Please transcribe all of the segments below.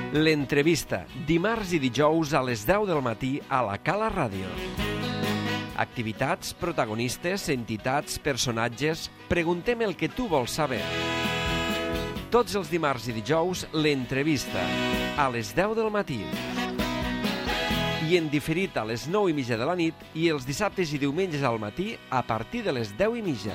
L'entrevista, dimarts i dijous a les 10 del matí a la Cala Ràdio. Activitats, protagonistes, entitats, personatges... Preguntem el que tu vols saber. Tots els dimarts i dijous, l'entrevista, a les 10 del matí. I en diferit a les 9:30 de la nit i els dissabtes i diumenges al matí a partir de les 10:30.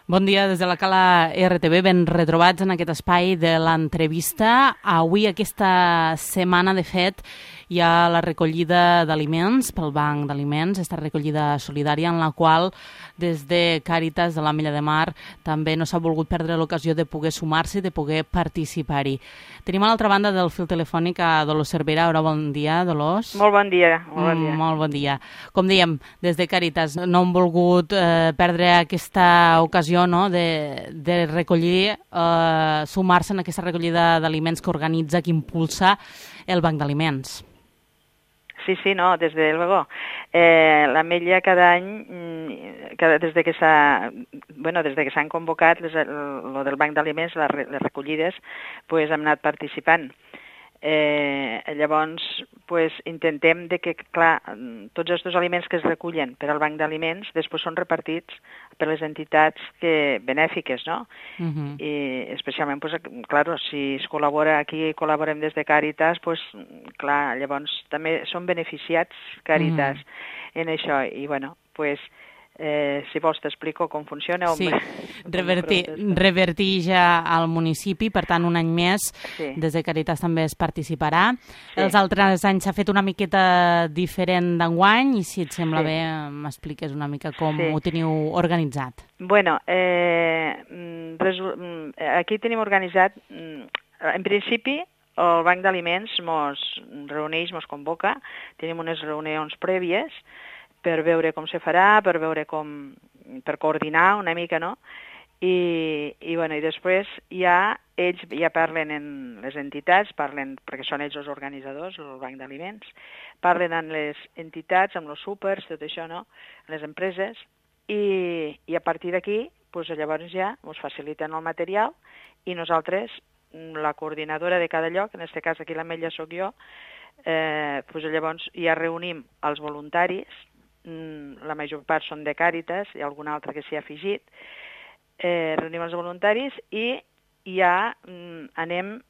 Bon dia des de la Cala RTV, ben retrobats en aquest espai de l'entrevista. Avui, aquesta setmana, de fet, hi ha la recollida d'aliments pel Banc d'Aliments, aquesta recollida solidària en la qual des de Càritas de l'Ametlla de Mar també no s'ha volgut perdre l'ocasió de poder sumar-se i de poder participar-hi. Tenim a l'altra banda del fil telefònic a Dolors Cervera. Hola, bon dia, Dolors. Molt bon dia. Molt bon dia. Com dèiem, des de Càritas no hem volgut perdre aquesta ocasió, no?, de recollir, sumar-se en aquesta recollida d'aliments que organitza, que impulsa el Banc d'Aliments. Sí, no, des de luego. L'Ametlla cada any, des de que s'han convocat lo del Banc d'Aliments, les recollides, pues, hem anat participant. Llavors, pues, intentem de que, clar, tots els aliments que es recullen per al Banc d'Aliments després són repartits per les entitats benèfiques, no? I especialment, pues, clar, si es col·labora, aquí col·laborem des de Càritas, pues, clar, llavors també són beneficiats Càritas en això. I, bueno, pues, si vols t'explico com funciona. Sí, revertir ja al municipi, per tant un any més, des de Càritas també es participarà. Els altres anys s'ha fet una miqueta diferent d'enguany i si et sembla bé m'expliques una mica com ho teniu organitzat. Bueno, aquí tenim organitzat, en principi, el Banc d'Aliments mos reuneix, mos convoca, tenim unes reunions prèvies per veure com se farà, per per coordinar una mica, no? I després ells ja parlen en les entitats, perquè són ells els organitzadors, el Banc d'Aliments, parlen amb les entitats, amb els súpers, tot això, no?, les empreses, i a partir d'aquí, doncs llavors ja ens faciliten el material i nosaltres, la coordinadora de cada lloc, en aquest cas aquí l'Ametlla soc jo, doncs llavors ja reunim els voluntaris, la major part són de Càritas, hi ha algun altre que s'hi ha afegit, reunim els voluntaris i ja anem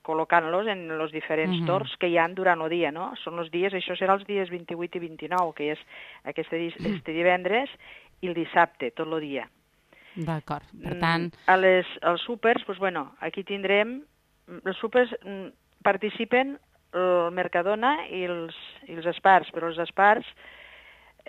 col·locant-los en els diferents torns que hi ha durant el dia, no? Són els dies, això serà els dies 28 i 29, que és este divendres, i el dissabte, tot el dia. D'acord, per tant... Els súpers, doncs, bueno, aquí tindrem... Els súpers participen el Mercadona i els Espars, però els Espars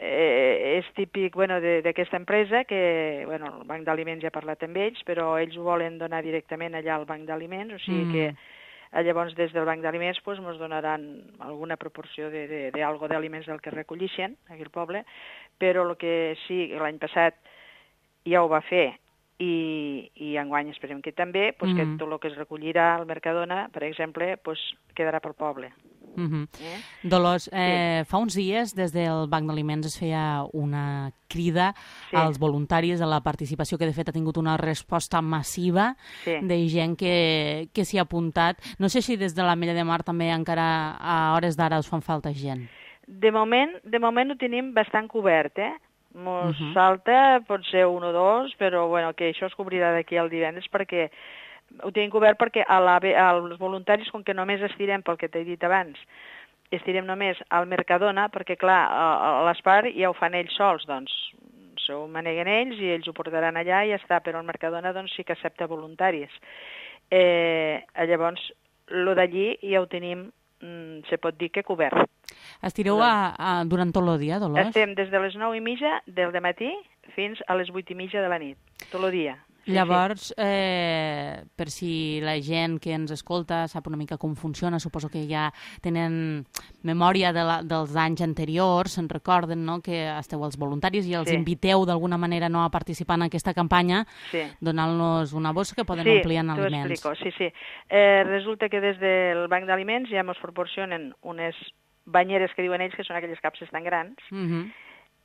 és típic d'aquesta empresa que el Banc d'Aliments ja ha parlat amb ells, però ells ho volen donar directament allà al Banc d'Aliments, o sigui que llavors des del Banc d'Aliments ens donaran alguna proporció d'algo d'aliments del que recollixen aquí al poble, però el que sí, l'any passat ja ho va fer i enguany esperem que també, que tot el que es recollirà al Mercadona, per exemple, quedarà pel poble. Dolors, fa uns dies des del Banc d'Aliments es feia una crida als voluntaris a la participació que de fet ha tingut una resposta massiva de gent que s'hi ha apuntat. No sé si des de l'Ametlla de Mar també encara a hores d'ara us fan falta gent. De moment ho tenim bastant cobert, Mos falta potser un o dos, però que això es cobrirà d'aquí al divendres perquè ho tenim cobert perquè als voluntaris, com que només estirem pel que t'he dit abans, estirem només al Mercadona, perquè clar, a l'Espar ja ho fan ells sols, doncs s'ho maneguen ells i ells ho portaran allà i ja està, però el Mercadona doncs sí que accepta voluntaris. Llavors, lo d'allí ja ho tenim, se pot dir que cobert. Estireu durant tot el dia, Dolors? Estem des de les 9:30 del matí fins a les 8:30 de la nit, tot el dia. Llavors, per si la gent que ens escolta sap una mica com funciona, suposo que ja tenen memòria dels anys anteriors, se'n recorden, no?, que esteu els voluntaris i els inviteu d'alguna manera a participar en aquesta campanya, donant-los una bossa que poden omplir en aliments. T'ho explico, sí. Resulta que des del Banc d'Aliments ja ens proporcionen unes banyeres que diuen ells, que són aquelles capses tan grans,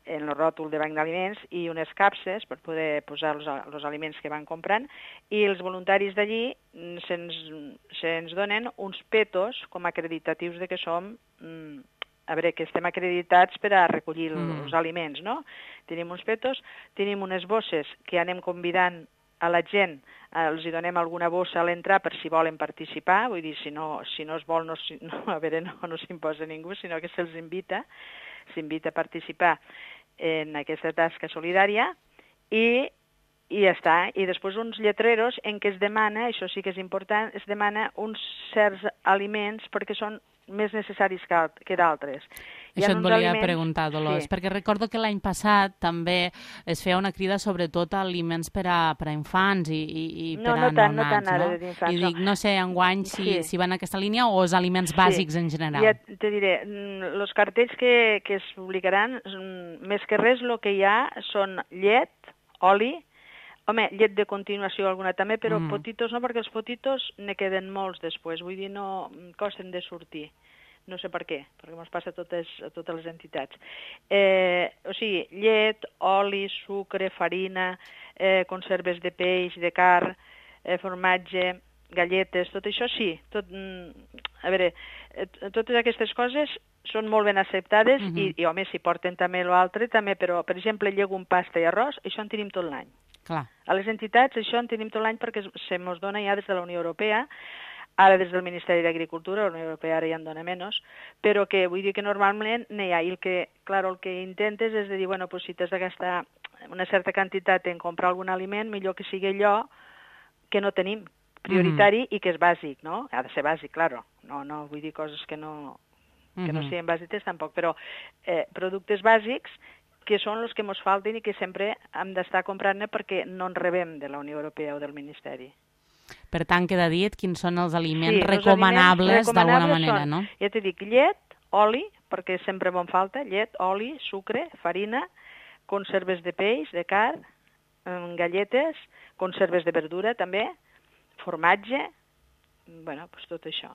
en el ròtol de banc d'aliments i unes capses per poder posar els aliments que van comprant, i els voluntaris d'allí se'ns donen uns petos com acreditatius de que som, que estem acreditats per a recollir els aliments, no? Tenim uns petos, tenim unes bosses que anem convidant a la gent, els hi donem alguna bossa a l'entrar per si volen participar, vull dir, si no es vol, no s'imposa ningú, sinó que s'invita a participar en aquesta tasca solidària i ja està. I després uns lletreros en què es demana, això sí que és important, es demana uns certs aliments perquè són més necessaris que d'altres. Això et volia preguntar, Dolors, perquè recordo que l'any passat també es feia una crida sobretot a aliments per a infants i per a neonats, no? No tant ara d'infants, I dic, no sé, enguany si va en aquesta línia o els aliments bàsics en general. Ja te diré, els cartells que es publicaran, més que res el que hi ha són llet, oli, home, llet de continuació alguna també, però potitos no, perquè els potitos ne queden molts després, vull dir, no costen de sortir. No sé per què, perquè ens passa a totes les entitats. O sigui, llet, oli, sucre, farina, conserves de peix, de carn, formatge, galletes, tot això sí. Totes aquestes coses són molt ben acceptades i home, si porten també l'altre, també, però, per exemple, llegum, pasta i arròs, això en tenim tot l'any. Clar. A les entitats això en tenim tot l'any perquè se mos dona ja des de la Unió Europea, ara des del Ministeri d'Agricultura, la Unió Europea ara ja en dona menys, però que vull dir que normalment n'hi ha. I el que intentes és de dir, bueno, pues si t'has de gastar una certa quantitat en comprar algun aliment, millor que sigui allò que no tenim, prioritari i que és bàsic, no? Ha de ser bàsic, claro. No vull dir coses que no siguin bàsiques tampoc, però productes bàsics que són els que ens falten i que sempre hem d'estar comprant-ne perquè no en rebem de la Unió Europea o del Ministeri. Per tant, queda dit quins són els aliments recomanables d'alguna manera, no? Ja t'he dit, llet, oli, perquè sempre me'n falta, llet, oli, sucre, farina, conserves de peix, de carn, galletes, conserves de verdura també, formatge, bueno, doncs tot això.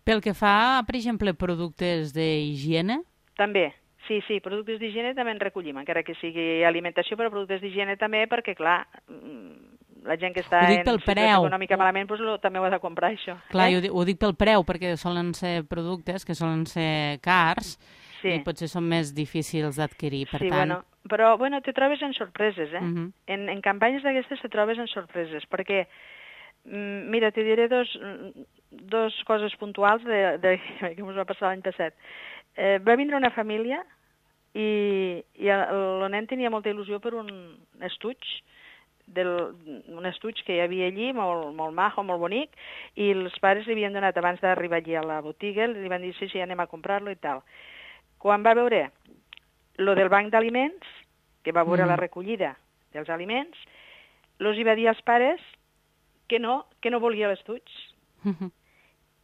Pel que fa, per exemple, productes d'higiene? També. Sí, productes d'higiene també en recollim, encara que sigui alimentació, però productes d'higiene també, perquè, clar, la gent que està en situació econòmica malament també ho ha de comprar, això. Clar, ho dic pel preu, perquè solen ser productes que solen ser cars i potser són més difícils d'adquirir, per tant... Però te trobes en sorpreses, eh? En campanyes d'aquestes te trobes en sorpreses, perquè, mira, te diré dos coses puntuals que ens va passar l'any passat. Va vindre una família i el nen tenia molta il·lusió per un estuig que hi havia allí, molt majo, molt bonic, i els pares li havien donat, abans d'arribar allí a la botiga, li van dir, sí, anem a comprar-lo i tal. Quan va veure lo del banc d'aliments, que va veure la recollida dels aliments, els hi va dir als pares que no volia l'estuig.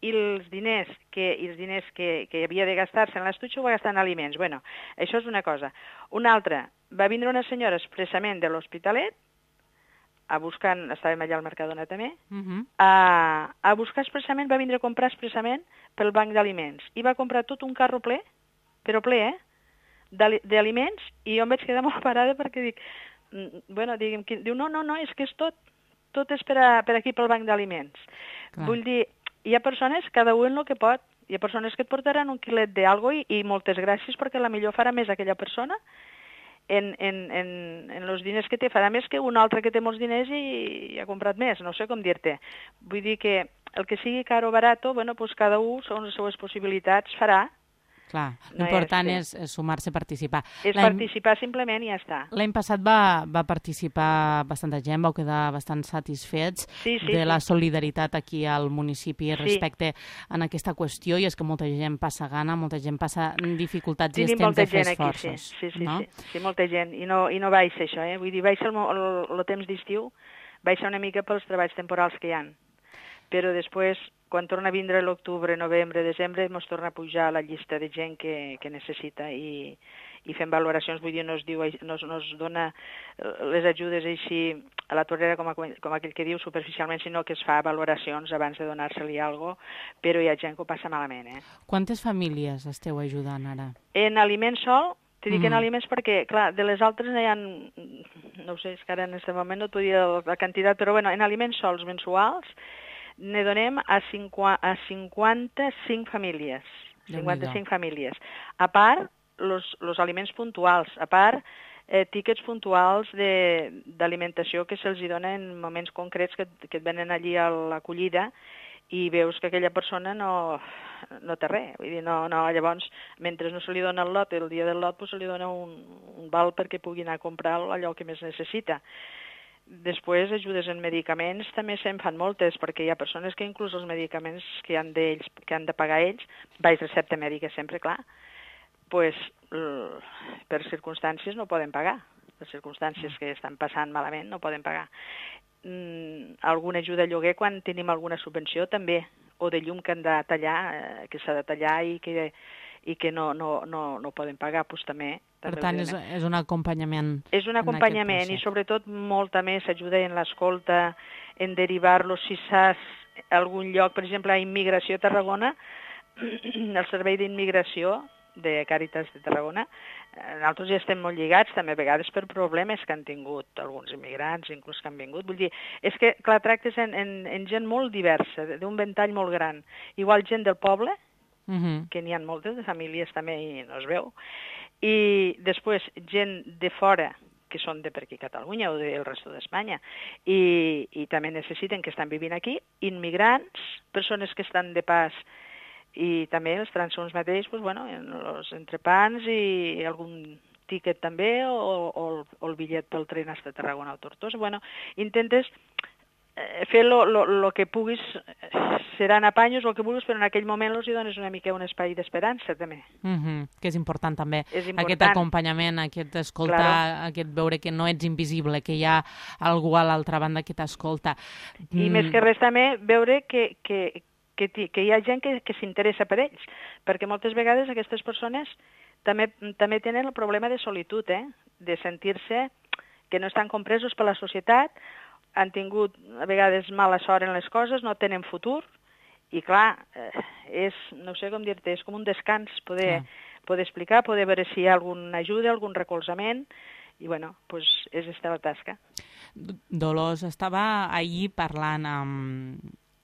I els diners que havia de gastar-se en l'estuig ho va gastar en aliments. Bueno, això és una cosa. Una altra, va vindre una senyora expressament de l'Hospitalet, estàvem allà al Mercadona també, a buscar expressament, va vindre a comprar expressament pel banc d'aliments. I va comprar tot un carro ple, però ple, d'aliments, i jo em vaig quedar molt parada perquè dic, diu, no, és que és tot és per aquí pel banc d'aliments. Vull dir, hi ha persones, cada un en el que pot, hi ha persones que et portaran un quilet d'algo i moltes gràcies perquè la millor farà més aquella persona en els diners que té, farà més que un altre que té molts diners i ha comprat més, no sé com dir-te. Vull dir que el que sigui car o barato, pues cada un, segons les seves possibilitats, farà. Clar, l'important és sumar-se a participar. És participar simplement i ja està. L'any passat va participar bastanta gent, vau quedar bastant satisfets de la solidaritat aquí al municipi respecte a aquesta qüestió, i és que molta gent passa gana, molta gent passa dificultats i és temps de fer esforços. Sí, molta gent, i no baixa això, vull dir, baixa el temps d'estiu, baixa una mica pels treballs temporals que hi ha. Però després, quan torna a vindre l'octubre, novembre, desembre, ens torna a pujar la llista de gent que necessita i fem valoracions, vull dir, no es dona les ajudes així a la torrera, com aquell que diu, superficialment, sinó que es fa valoracions abans de donar-se-li alguna cosa, però hi ha gent que ho passa malament. Quantes famílies esteu ajudant ara? En aliment sol T'he dit que en aliments perquè, clar, de les altres hi ha, no ho sé, és que ara en aquest moment no et podia dir la quantitat, però bueno, en aliments sols mensuals ne donem a 55 famílies. 55 famílies. A part, los aliments puntuals, a part, tíquets puntuals d'alimentació que se'ls dona en moments concrets que et venen allí a l'acollida i veus que aquella persona no té res. Vull dir, llavors, mentre no se li dona el lot, el dia del lot se li dona un val perquè pugui anar a comprar allò que més necessita. Després, ajudes en medicaments també se'n fan moltes, perquè hi ha persones que inclús els medicaments que han de pagar ells, baix recepta mèdica sempre, clar, pues, per circumstàncies no poden pagar. Per circumstàncies que estan passant malament no poden pagar. Alguna ajuda a lloguer quan tenim alguna subvenció també, o de llum que han de tallar, que s'ha de tallar i que no poden pagar, doncs també. Per tant, és un acompanyament. És un acompanyament i sobretot molta més ajuda en l'escolta, en derivar-los si saps algun lloc, per exemple, a Immigració a Tarragona, el servei d'immigració de Càritas de Tarragona, nosaltres ja estem molt lligats també a vegades per problemes que han tingut alguns immigrants, inclús que han vingut. Vull dir, és que, clar, tractes en gent molt diversa, d'un ventall molt gran. Igual gent del poble, que n'hi ha moltes de famílies també i no es veu, i després gent de fora, que són de per aquí Catalunya o del resto d'Espanya, i també necessiten, que estan vivint aquí, immigrants, persones que estan de pas, i també els transsons mateix, doncs, bueno, els entrepans i algun tíquet també, o el bitllet pel tren fins a Tarragona o Tortosa. Bueno, intentes fer el que puguis, seran apanyos o el que vulguis, però en aquell moment els dones una mica un espai d'esperança, també. Que és important, també. Aquest acompanyament, aquest escoltar, aquest veure que no ets invisible, que hi ha algú a l'altra banda que t'escolta. I més que res també, veure que hi ha gent que s'interessa per ells, perquè moltes vegades aquestes persones també tenen el problema de solitud, de sentir-se que no estan compresos per la societat, han tingut a vegades mala sort en les coses, no tenen futur, i clar, no sé com dir-te, és com un descans poder explicar, poder veure si hi ha alguna ajuda, algun recolzament, i bueno, doncs és aquesta la tasca. Dolors, estava ahir parlant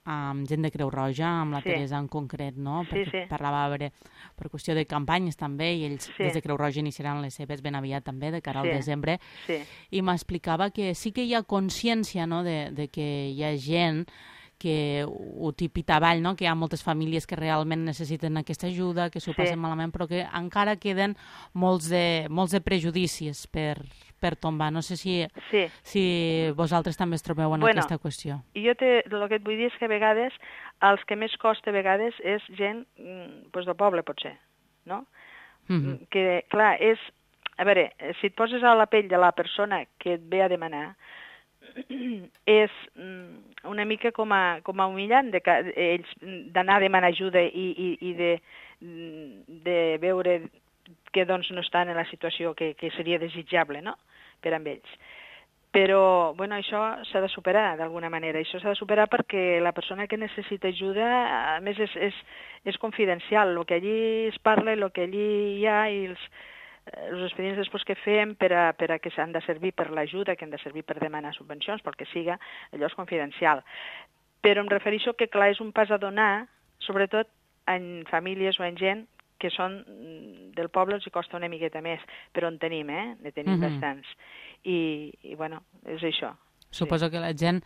amb gent de Creu Roja, amb la Teresa en concret, no? Perquè parlava per qüestió de campanyes també, i ells des de Creu Roja iniciaran les seves ben aviat també, de cara al desembre, i m'explicava que sí que hi ha consciència, no?, de que hi ha gent que ho tipita avall, no?, que hi ha moltes famílies que realment necessiten aquesta ajuda, que s'ho passen malament, però que encara queden molts de prejudicis per tombar. No sé si vosaltres també es trobeu en aquesta qüestió. Jo el que et vull dir és que a vegades els que més costa a vegades és gent del poble, potser, no? Que, clar, a veure, si et poses a la pell de la persona que et ve a demanar, és una mica com a humillant ells d'anar a demanar ajuda i de veure que doncs no estan en la situació que seria desitjable, no?, per amb ells. Però, bueno, això s'ha de superar d'alguna manera. Això s'ha de superar perquè la persona que necessita ajuda, a més, és confidencial. El que allí es parla, el que allí hi ha i els expedients després que fem per a que s'han de servir per l'ajuda, que han de servir per demanar subvencions, pel que siga, allò és confidencial. Però em refereixo que, clar, és un pas a donar, sobretot en famílies o en gent que són del poble, els costa una miqueta més, però en tenim, ne tenim bastants. I, bueno, és això. Suposo que la gent,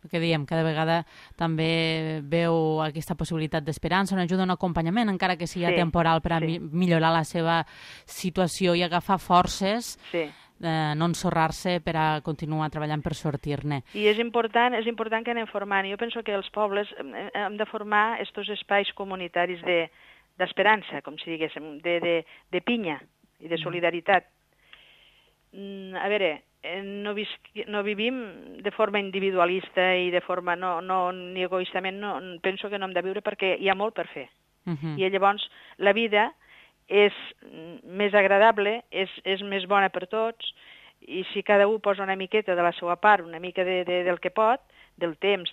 el que diem, cada vegada també veu aquesta possibilitat d'esperança, una ajuda, un acompanyament, encara que sigui temporal, per a millorar la seva situació i agafar forces, no ensorrar-se per a continuar treballant per sortir-ne. I és important que anem formant. Jo penso que els pobles hem de formar aquests espais comunitaris d'esperança, com si diguéssim, de pinya i de solidaritat. A veure, no vivim de forma individualista i de forma ni egoistament, penso que no hem de viure perquè hi ha molt per fer. I llavors la vida és més agradable, és més bona per tots i si cada un posa una miqueta de la seva part, una mica del que pot, del temps,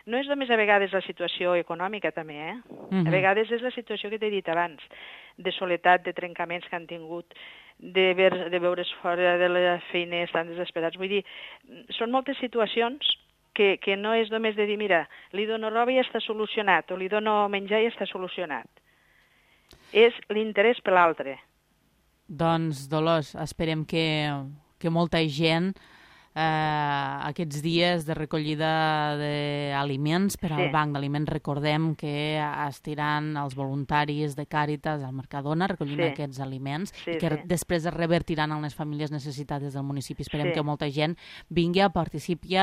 no és només a vegades la situació econòmica també, A vegades és la situació que t'he dit abans, de soledat, de trencaments que han tingut, de veure's fora de la feina, estan desesperats. Vull dir, són moltes situacions que no és només de dir, mira, li dono roba i ja està solucionat, o li dono menjar i ja està solucionat. És l'interès per l'altre. Doncs, Dolors, esperem que molta gent aquests dies de recollida d'aliments per al Banc d'Aliments, recordem que estiran els voluntaris de Càritas al Mercadona recollint aquests aliments i que després es revertiran a les famílies necessitades del municipi. Esperem que molta gent vingui, participi,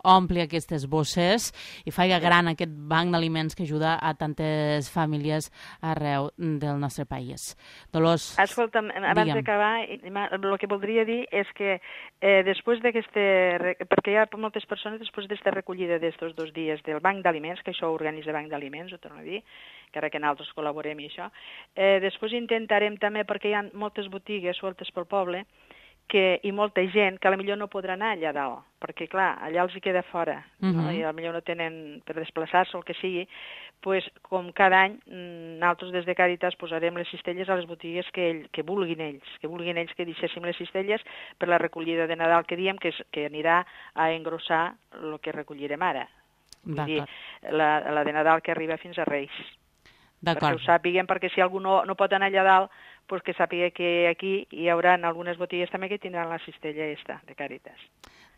ompli aquestes bosses i faci gran aquest banc d'aliments que ajuda a tantes famílies arreu del nostre país. Dolors, escolta'm, abans d'acabar, el que voldria dir és que després d'aquesta perquè hi ha moltes persones després d'esta recollida d'estos 2 dies del Banc d'Aliments, que això ho organitza el Banc d'Aliments, ho torno a dir, encara que nosaltres col·laborem i això. Després intentarem també, perquè hi ha moltes botigues sueltes pel poble i molta gent que potser no podrà anar allà dalt, perquè clar, allà els hi queda fora, i potser no tenen per desplaçar-se o el que sigui, doncs com cada any nosaltres des de Càritas posarem les cistelles a les botigues que vulguin ells, que deixéssim les cistelles per la recollida de Nadal que diem que anirà a engrossar el que recollirem ara. Vull dir, la de Nadal que arriba fins a Reis. Perquè ho sàpiguen, perquè si algú no pot anar allà dalt, doncs que sàpiga que aquí hi haurà algunes botigues també que tindran la cistella de Càritas.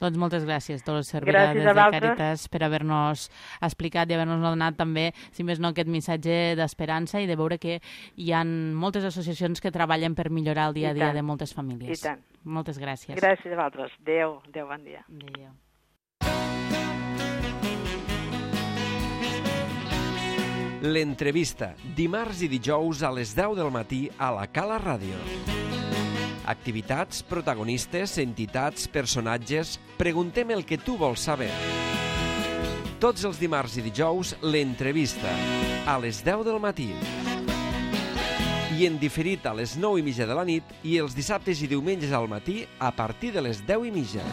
Doncs moltes gràcies, Dolors Cervera, des de Càritas, per haver-nos explicat i haver-nos donat també, si més no, aquest missatge d'esperança i de veure que hi ha moltes associacions que treballen per millorar el dia a dia de moltes famílies. I tant. Moltes gràcies. Gràcies a vosaltres. Adéu, bon dia. Adéu. L'entrevista, dimarts i dijous a les 10 del matí a la Cala Ràdio. Activitats, protagonistes, entitats, personatges... Preguntem el que tu vols saber. Tots els dimarts i dijous, l'entrevista, a les 10 del matí. I en diferit a les 9:30 de la nit i els dissabtes i diumenges al matí a partir de les 10:30.